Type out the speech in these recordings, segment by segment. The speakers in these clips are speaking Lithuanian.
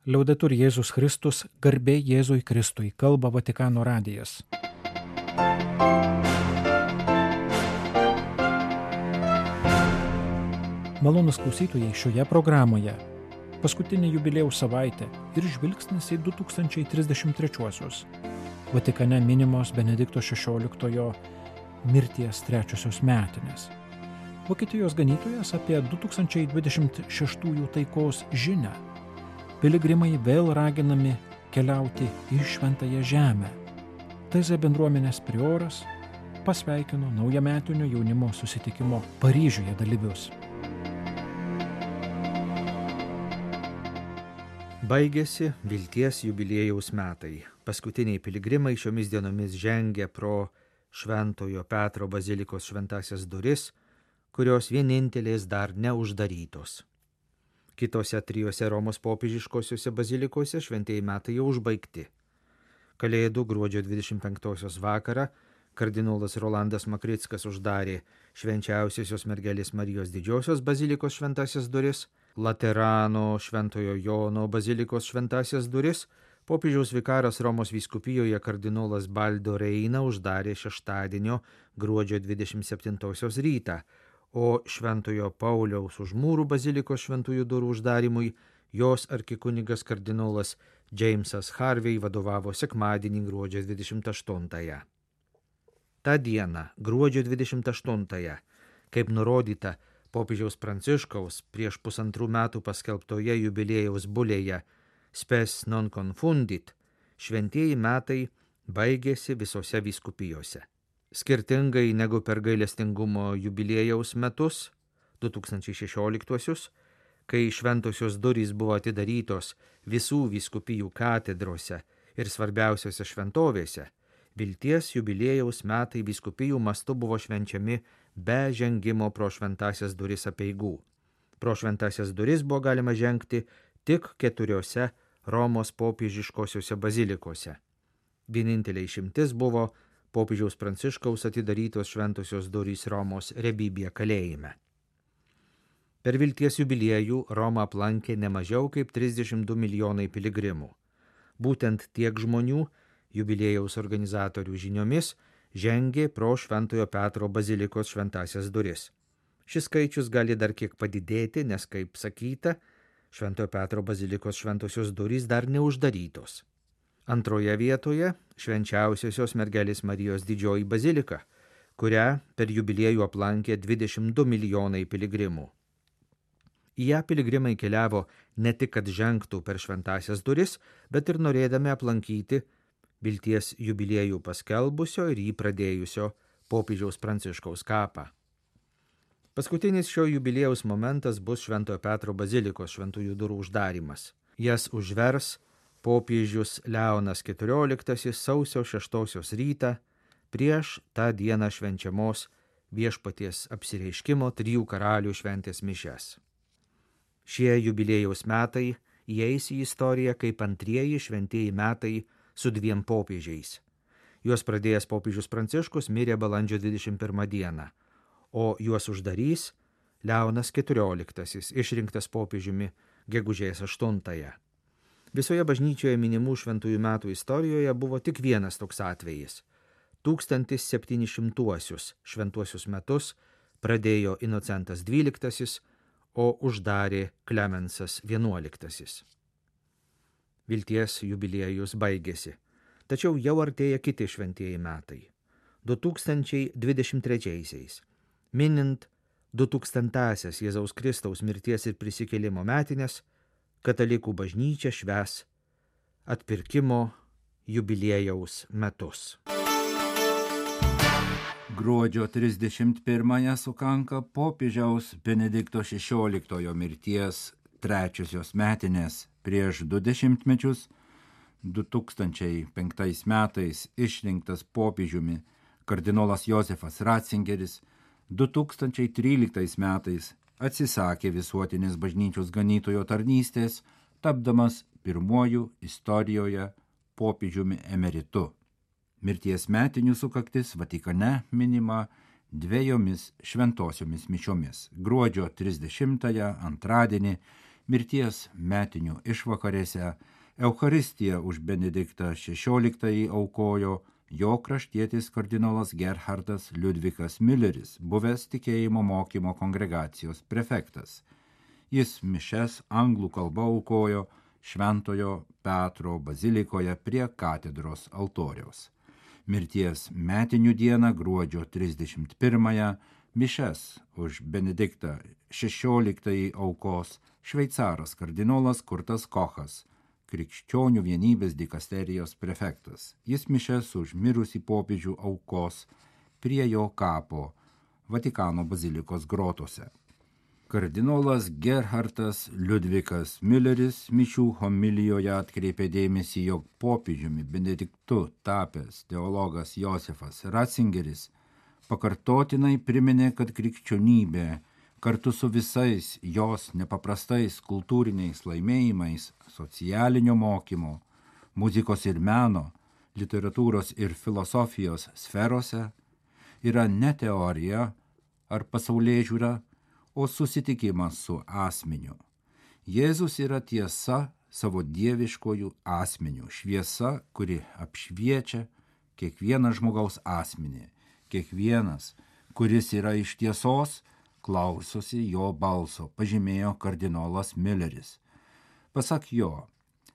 Liaudetur Jėzus Kristus, garbė Jėzui Kristui, kalba Vatikano radijas. Malonūs klausytojai, šioje programoje paskutinė jubiliejaus savaitė ir žvilgsnis į 2033-uosius. Vatikane minimos Benedikto XVI mirties 3-osios metinės. Vokietijos ganytojas apie 2026 taikos žinią. Piligrimai vėl raginami keliauti į Šventąją Žemę. TZ bendruomenės prioras pasveikino naujametinio jaunimo susitikimo Paryžiuje dalyvius. Baigėsi vilties jubiliejaus metai. Paskutiniai piligrimai šiomis dienomis žengia pro Šventojo Petro bazilikos šventąsias duris, kurios vienintelės dar neuždarytos. Kitose 3 Romos popiežiškosiuose bazilikose šventieji metai jau užbaigti. Kalėdų gruodžio 25 vakarą kardinolas Rolandas Makrickas uždarė Švenčiausiosios mergelės Marijos didžiosios bazilikos šventąsias duris, Laterano Šventojo Jono bazilikos šventąsias duris, popiežiaus vikaras Romos vyskupijoje kardinolas Baldo Reina uždarė šeštadienio gruodžio 27 rytą, o Šventojo Pauliaus už mūrų bazilikos šventųjų durų uždarimui jos arkikunigas kardinolas Jamesas Harvey vadovavo sekmadienį gruodžio 28. Ta diena, gruodžio 28, kaip nurodyta popiežiaus Pranciškaus prieš 1,5 metų paskelbtoje jubiliejaus bulėje Spes non confundit, šventieji metai baigėsi visose vyskupijose. Skirtingai negu per gailestingumo jubiliejaus metus, 2016, kai šventosios durys buvo atidarytos visų vyskupijų katedrose ir svarbiausiose šventovėse, vilties jubiliejaus metai vyskupijų mastu buvo švenčiami be žengimo pro šventąsias duris apeigų. Pro šventąsias duris buvo galima žengti tik 4 Romos popiežiškosiuose bazilikose. Vienintelė išimtis buvo popiežiaus Pranciškaus atidarytos šventosios durys Romos Rebibija kalėjime. Per vilties jubiliejų Romą aplankė ne mažiau kaip 32 milijonai piligrimų. Būtent tiek žmonių, jubiliejaus organizatorių žiniomis, žengė pro Šventojo Petro bazilikos šventąsias duris. Šis skaičius gali dar kiek padidėti, nes, kaip sakyta, Šventojo Petro bazilikos šventosios durys dar neuždarytos. Antroje vietoje Švenčiausiosios mergelės Marijos didžioji bazilika, kurią per jubiliejų aplankė 22 milijonai piligrimų. Į ją piligrimai keliavo ne tik, kad žengtų per šventąsias duris, bet ir norėdami aplankyti vilties jubiliejų paskelbusio ir jį pradėjusio popiežiaus Pranciškaus kapą. Paskutinis šio jubiliejaus momentas bus Šventojo Petro bazilikos šventųjų durų uždarimas. Jas užvers popiežius Leonas XIV sausio 6 rytą prieš tą dieną švenčiamos viešpaties apsireiškimo 3 karalių šventės mišias. Šie jubiliejaus metai įeis į istoriją kaip antrieji šventieji metai su 2 popiežiais. Juos pradėjęs popiežius Pranciškus mirė balandžio 21 dieną, o juos uždarys Leonas XIV, išrinktas popiežiumi gegužės 8. Visoje bažnyčioje minimų šventųjų metų istorijoje buvo tik vienas toks atvejis. 1700-uosius šventuosius metus pradėjo Inocentas XII, o uždarė Klemensas XI. Vilties jubiliejus baigėsi, tačiau jau artėja kiti šventieji metai. 2023, minint 2000-asias Jėzaus Kristaus mirties ir prisikėlimo metinės, katalikų bažnyčia švęs atpirkimo jubiliejaus metus. Gruodžio 31 sukanka popiežiaus Benedikto XVI mirties 3-osios metinės. Prieš 20 mečius, 2005 metais išrinktas popiežiumi kardinolas Josefas Ratzingeris, 2013 metais atsisakė visuotinės bažnyčios ganytojo tarnystės, tapdamas pirmuoju istorijoje popiežiumi emeritu. Mirties metinių sukaktis Vatikane minima 2 šventosiomis mišiomis. Gruodžio 30 antradienį Mirties metinių išvakarėse Eucharistiją už Benediktą XVI aukojo jo kraštietis kardinolas Gerhardas Liudvikas Milleris, buvęs tikėjimo mokymo kongregacijos prefektas. Jis mišes anglų kalba aukojo Šventojo Petro bazilikoje prie katedros altoriaus. Mirties metinių dieną gruodžio 31-ąją mišes už Benediktą XVI aukos šveicaras kardinolas Kurtas Kochas, Krikščionių vienybės dikasterijos prefektas. Jis mišes už mirusį popiežių aukos prie jo kapo Vatikano bazilikos grotose. Kardinolas Gerhardas Liudvikas Milleris mišių homilijoje atkreipė dėmesį, jog popiežiumi Benediktu tapęs teologas Josefas Ratzingeris pakartotinai priminė, kad krikščionybė kartu su visais jos nepaprastais kultūriniais laimėjimais socialinio mokymo, muzikos ir meno, literatūros ir filosofijos sferose yra ne teorija ar pasaulėžiūra, o susitikimas su asmeniu. Jėzus yra tiesa savo dieviškojų asmenių, šviesa, kuri apšviečia kiekvieną žmogaus asmenį. Kiekvienas, kuris yra iš tiesos, klausosi jo balso, pažymėjo kardinolas Milleris. Pasak jo,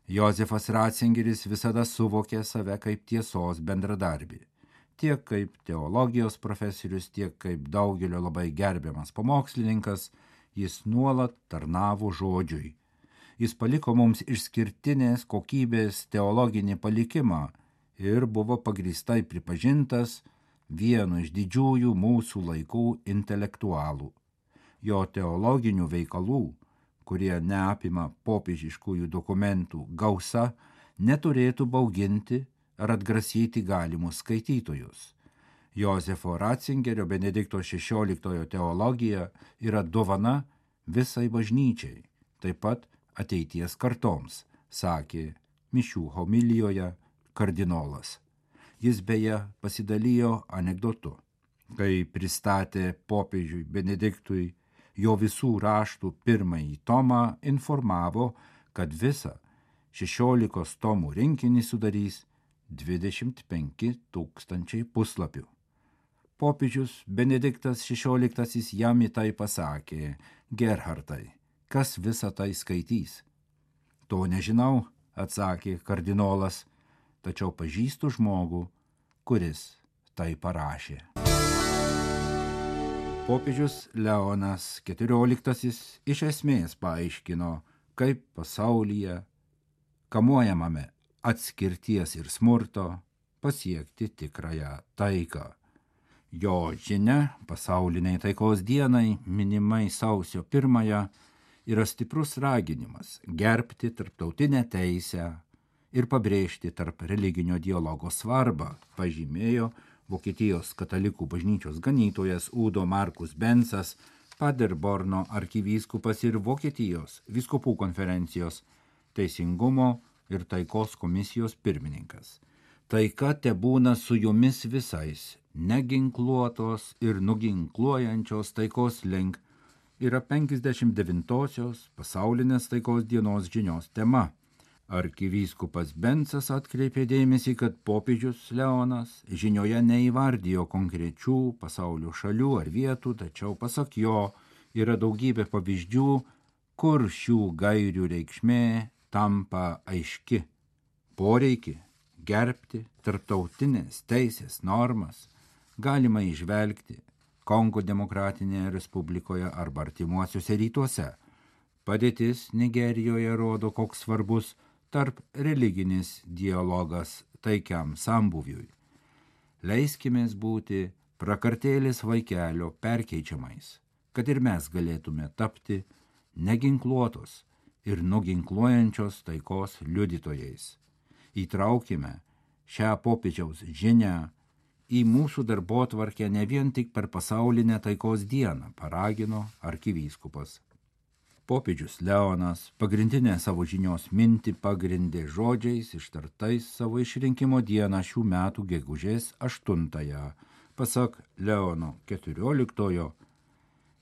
Josefas Ratzingeris visada suvokė save kaip tiesos bendradarbį. Tiek kaip teologijos profesorius, tiek kaip daugelio labai gerbiamas pamokslininkas, jis nuolat tarnavo žodžiui. Jis paliko mums išskirtinės kokybės teologinį palikimą ir buvo pagrįstai pripažintas vienu iš didžiųjų mūsų laikų intelektualų. Jo teologinių veikalų, kurie neapima popiežiškųjų dokumentų gausa, neturėtų bauginti ar atgrasyti galimus skaitytojus. Josefo Ratzingerio Benedikto XVI teologija yra dovana visai bažnyčiai, taip pat ateities kartoms, sakė mišių homilijoje kardinolas. Jis beje pasidalijo anekdotu, kai pristatė popiežiui Benediktui jo visų raštų pirmąjį tomą, informavo, kad visą 16 tomų rinkinį sudarys 25 000 puslapių. Popiežius Benediktas XVI jam į tai pasakė: Gerhardai, kas visą tai skaitys? To nežinau, atsakė kardinolas, tačiau pažįstu žmogų, kuris tai parašė. Popiežius Leonas XIV iš esmės paaiškino, kaip pasaulyje, kamuojamame atskirties ir smurto, pasiekti tikrąją taiką. Jo žinia pasauliniai taikos dienai, minimai sausio 1, yra stiprus raginimas gerbti tarptautinę teisę ir pabrėžti tarp religinio dialogo svarbą, pažymėjo Vokietijos katalikų bažnyčios ganytojas Udo Markus Bensas, Paderborno arkivyskupas ir Vokietijos vyskupų konferencijos teisingumo ir taikos komisijos pirmininkas. Taika tebūna su jumis visais, neginkluotos ir nuginkluojančios taikos link yra 59-osios pasaulinės taikos dienos žinios tema. Arkivyskupas Bensas atkreipė dėmesį, kad popiežius Leonas žinioje neįvardijo konkrečių pasaulio šalių ar vietų, tačiau pasak jo yra daugybė pavyzdžių, kur šių gairių reikšmė tampa aiški. Poreikį gerbti tarptautinės teisės normas galima įžvelgti Kongo demokratinėje respublikoje arba artimuosiuose rytuose. Padėtis Nigerijoje rodo, koks svarbus tarp religinis dialogas taikiam sambuviui. Leiskimės būti prakartėlės vaikelio perkeičiamais, kad ir mes galėtume tapti neginkluotos ir nuginkluojančios taikos liudytojais. Įtraukime šią popiežiaus žinią į mūsų darbotvarkę ne vien tik per pasaulinę taikos dieną, paragino arkivyskupas. Popiežius Leonas pagrindinę savo žinios mintį pagrindė žodžiais ištartais savo išrinkimo dieną šių metų gegužės 8-ąją. Pasak Leono XIV,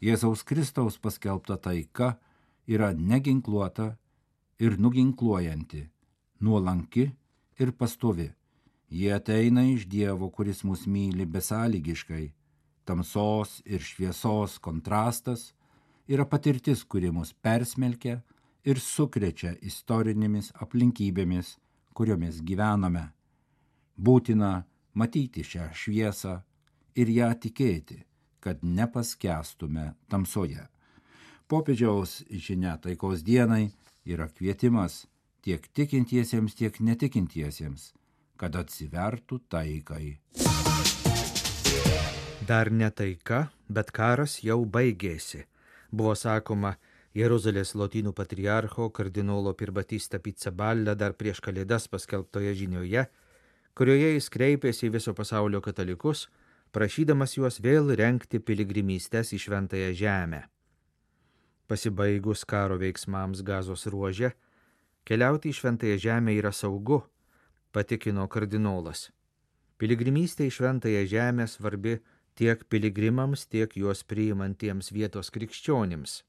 Jėzaus Kristaus paskelbta taika yra neginkluota ir nuginkluojanti, nuolanki ir pastovi. Jie ateina iš Dievo, kuris mus myli besąlygiškai. Tamsos ir šviesos kontrastas yra patirtis, kuri mus persmelkia ir sukrečia istorinėmis aplinkybėmis, kuriomis gyvename. Būtina matyti šią šviesą ir ją tikėti, kad nepaskęstume tamsoje. Popiežiaus žinia taikos dienai yra kvietimas tiek tikintiesiems, tiek netikintiesiems, kad atsivertų taikai. Dar ne taika, bet karas jau baigėsi, buvo sakoma Jeruzalės lotynų patriarcho kardinolo Pirbatista Pizzaballa dar prieš Kalėdas paskelbtoje žinioje, kurioje jis kreipėsi į viso pasaulio katalikus, prašydamas juos vėl rengti piligrimystes į Šventąją Žemę. Pasibaigus karo veiksmams Gazos ruože, keliauti į Šventąją Žemę yra saugu, patikino kardinolas. Piligrimystė į Šventąją Žemę svarbi tiek piligrimams, tiek juos priimantiems vietos krikščionims.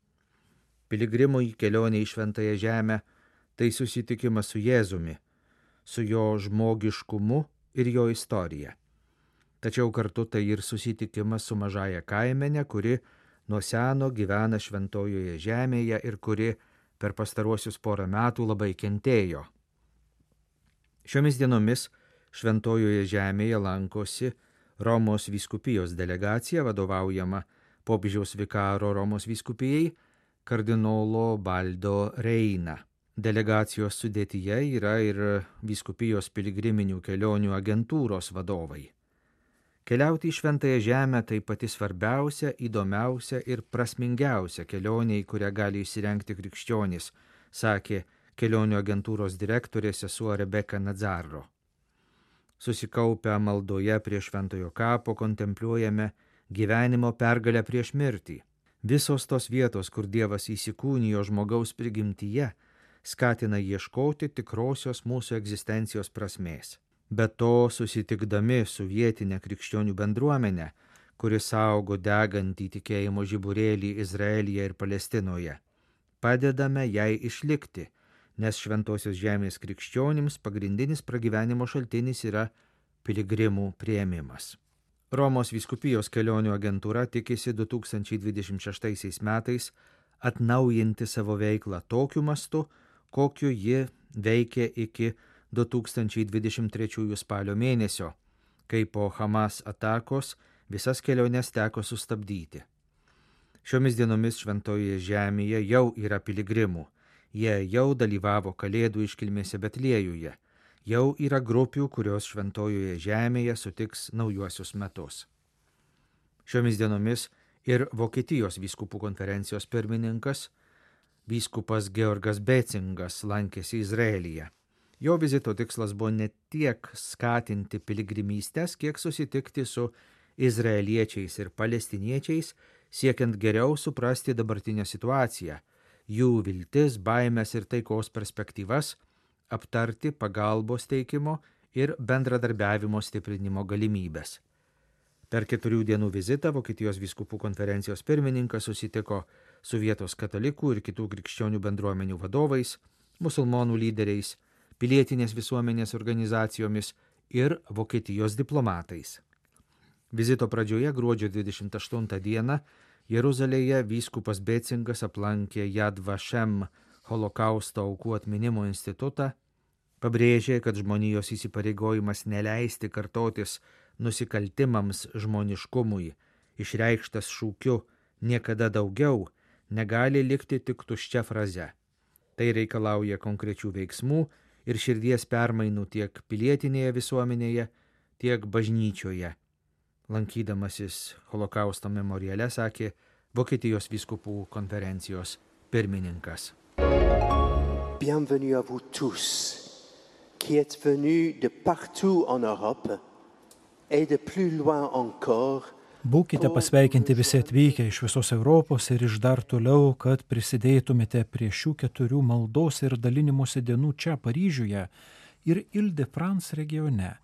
Piligrimui kelionė į Šventąją Žemę tai susitikimas su Jėzumi, su jo žmogiškumu ir jo istorija. Tačiau kartu tai ir susitikimas su mažąja kaimene, kuri nuo seno gyvena Šventojoje Žemėje ir kuri per pastaruosius porą metų labai kentėjo. Šiomis dienomis Šventojoje Žemėje lankosi Romos vyskupijos delegacija, vadovaujama popiežiaus vikaro Romos vyskupijai kardinolo Baldo Reina. Delegacijos sudėtyje yra ir vyskupijos piligriminių kelionių agentūros vadovai. Keliauti į Šventąją Žemę tai pati svarbiausia, įdomiausia ir prasmingiausia kelionė, į kurią gali įsirengti krikščionys, sakė kelionių agentūros direktorė sesuo Rebeka Nazzaro. Susikaupę maldoje prie Šventojo kapo kontempliuojame gyvenimo pergalę prieš mirtį. Visos tos vietos, kur Dievas įsikūnijo žmogaus prigimtyje, skatina ieškoti tikrosios mūsų egzistencijos prasmės. Be to, susitikdami su vietinė krikščionių bendruomenė, kuri saugo degantį tikėjimo žiburėlį Izraelyje ir Palestinoje, padedame jai išlikti, nes Šventosios Žemės krikščionims pagrindinis pragyvenimo šaltinis yra piligrimų priėmimas. Romos vyskupijos kelionių agentūra tikisi 2026 metais atnaujinti savo veiklą tokiu mastu, kokiu ji veikė iki 2023 spalio mėnesio, kai po Hamas atakos visas keliones teko sustabdyti. Šiomis dienomis Šventojoje Žemėje jau yra piligrimų. Jie jau dalyvavo Kalėdų iškilmėse Betliejuje. Jau yra grupių, kurios Šventojoje Žemėje sutiks naujuosius metus. Šiomis dienomis ir Vokietijos vyskupų konferencijos pirmininkas, vyskupas Georgas Becingas, lankėsi Izraelyje. Jo vizito tikslas buvo ne tiek skatinti piligrimystes, kiek susitikti su izraeliečiais ir palestiniečiais, siekiant geriau suprasti dabartinę situaciją, jų viltis, baimės ir taikos perspektyvas, aptarti pagalbos teikimo ir bendradarbiavimo stiprinimo galimybės. Per 4 dienų vizitą Vokietijos vyskupų konferencijos pirmininkas susitiko su vietos katalikų ir kitų krikščionių bendruomenių vadovais, musulmonų lyderiais, pilietinės visuomenės organizacijomis ir Vokietijos diplomatais. Vizito pradžioje gruodžio 28 dieną Jeruzalėje vyskupas Becingas aplankė Yad Vashem holokausto aukų atminimo institutą, pabrėžė, kad žmonijos įsipareigojimas neleisti kartotis nusikaltimams žmoniškumui, išreikštas šūkiu niekada daugiau, negali likti tik tuščia fraze. Tai reikalauja konkrečių veiksmų ir širdies permainų tiek pilietinėje visuomenėje, tiek bažnyčioje. Lankydamasis holokausto memoriale, sakė Vokietijos vyskupų konferencijos pirmininkas. Bienvenue à vous tous, qui êtes venus de partout en Europe et de plus loin encore. Būkite pasveikinti visi atvykę iš visos Europos ir iš dar toliau, kad prisidėtumėte prie šių 4 maldos ir dalinimosi dienų čia Paryžiuje ir Ile-de-France regione.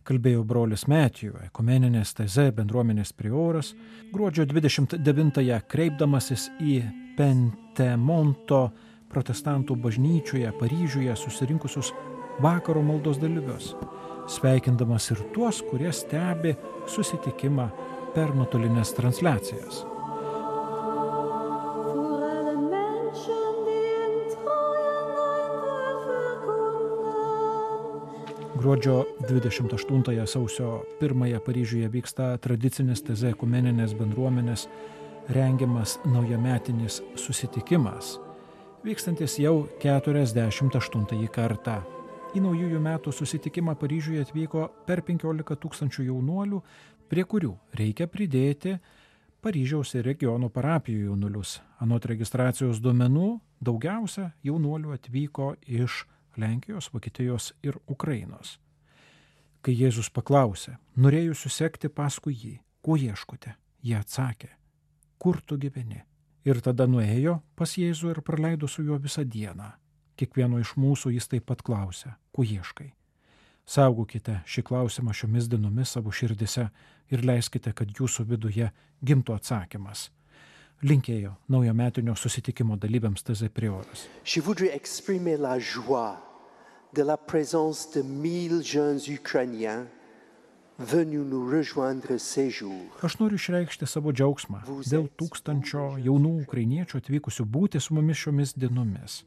Kalbėjo brolis Matthew, ekumeninės TZ bendruomenės prioras, gruodžio 29-ąją kreipdamasis į Pentemonto protestantų bažnyčioje Paryžiuje susirinkusius vakaro maldos dalyvius, sveikindamas ir tuos, kurie stebi susitikimą per nuotolinės transliacijas. Gruodžio 28 sausio 1 Paryžiuje vyksta tradicinis TZ ekumeninės bendruomenės rengiamas naujametinis susitikimas, vykstantis jau 48 kartą. Į naujųjų metų susitikimą Paryžiuje atvyko per 15 000 jaunuolių, prie kurių reikia pridėti Paryžiaus ir regionų parapijų jaunuolius. Anot registracijos duomenų, daugiausia jaunuolių atvyko iš Lenkijos, Vokietijos ir Ukrainos. Kai Jėzus paklausė, norėjusių sekti paskui jį, ko ieškote, jie atsakė, kur tu gyveni. Ir tada nuėjo pas Jėzų ir praleido su juo visą dieną. Kiekvieno iš mūsų jis taip pat klausė, ko ieškai. Saugokite šį klausimą šiomis dienomis savo širdise ir leiskite, kad jūsų viduje gimtų atsakymas. Linkėjo naujametinio susitikimo dalyviams TZ prioras. Je voudrais exprimer la joie de la présence de 1000 jeunes Ukrainiens venus nous rejoindre ces jours. Aš noriu išreikšti savo džiaugsmą dėl 1000 jaunų ukrainiečių atvykusių būti su mumis šiomis dienomis.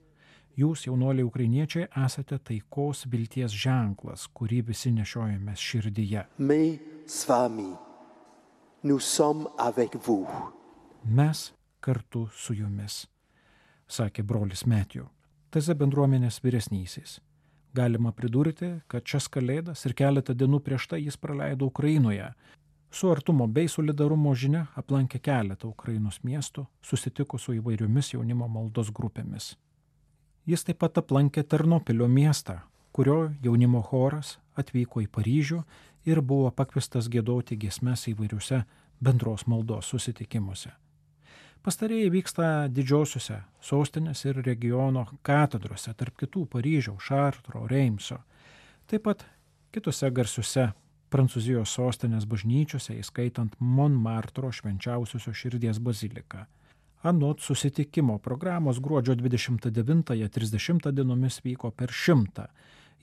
Jūs, jaunuoliai ukrainiečiai, esate taikos vilties ženklas, kurį visi nešiojame širdyje. Mais s vami, nous sommes avec vous. Mes kartu su jumis, sakė brolis Metju, TZ bendruomenės vyresnysis. Galima pridurti, kad šias kalėdas ir keletą dienų prieš tai jis praleido Ukrainoje. Su artumo bei solidarumo žinia aplankė keletą Ukrainos miestų, susitiko su įvairiomis jaunimo maldos grupėmis. Jis taip pat aplankė Ternopilio miestą, kurio jaunimo choras atvyko į Paryžių ir buvo pakviestas giedoti giesmes įvairiuose bendros maldos susitikimuose. Pastarieji vyksta didžiosiuose sostinės ir regiono katedrose, tarp kitų Paryžiaus, Šartro, Reimso. Taip pat kitose garsiuose Prancūzijos sostinės bažnyčiose, įskaitant Montmartro švenčiausiosios širdies baziliką. Anot susitikimo programos gruodžio 29-30 dienomis vyko per 100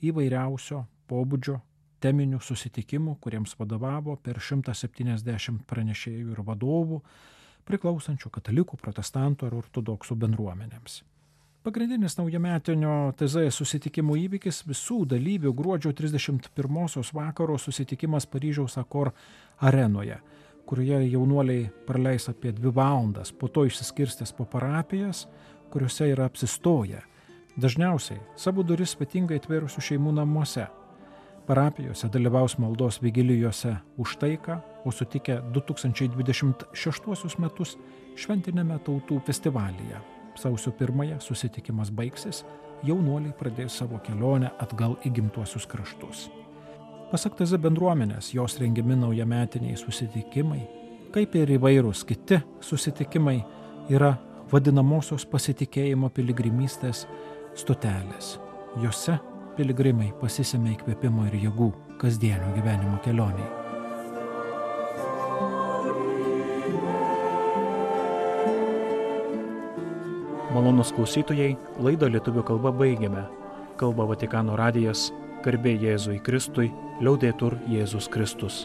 įvairiausio pobūdžio teminių susitikimų, kuriems vadovavo per 170 pranešėjų ir vadovų, priklausančių katalikų, protestantų ar ortodoksų bendruomenėms. Pagrindinis naujametinio TZ susitikimo įvykis visų dalyvių gruodžio 31 vakaro susitikimas Paryžiaus Akor arenoje, kurioje jaunuoliai praleis apie 2 valandas, po to išsiskirstys po parapijas, kuriuose yra apsistoję. Dažniausiai savo duris svetingai atvėrusių šeimų namuose. Parapijose dalyvaus maldos vigilijose už taiką, o sutikę 2026 metus šventinėme tautų festivalyje. Sausio 1 susitikimas baigsis, jaunuoliai pradės savo kelionę atgal į gimtuosius kraštus. Pasak TZ bendruomenės, jos rengiami naujametiniai susitikimai, kaip ir įvairūs kiti susitikimai, yra vadinamosios pasitikėjimo piligrimystės stotelės. Jose piligrimai pasisemia įkvėpimo ir jėgų kasdienio gyvenimo kelioniai. Malonūs klausytojai, laidą lietuvių kalba baigiame. Kalba Vatikano radijas, garbė Jėzui Kristui, liaudetur Jėzus Kristus.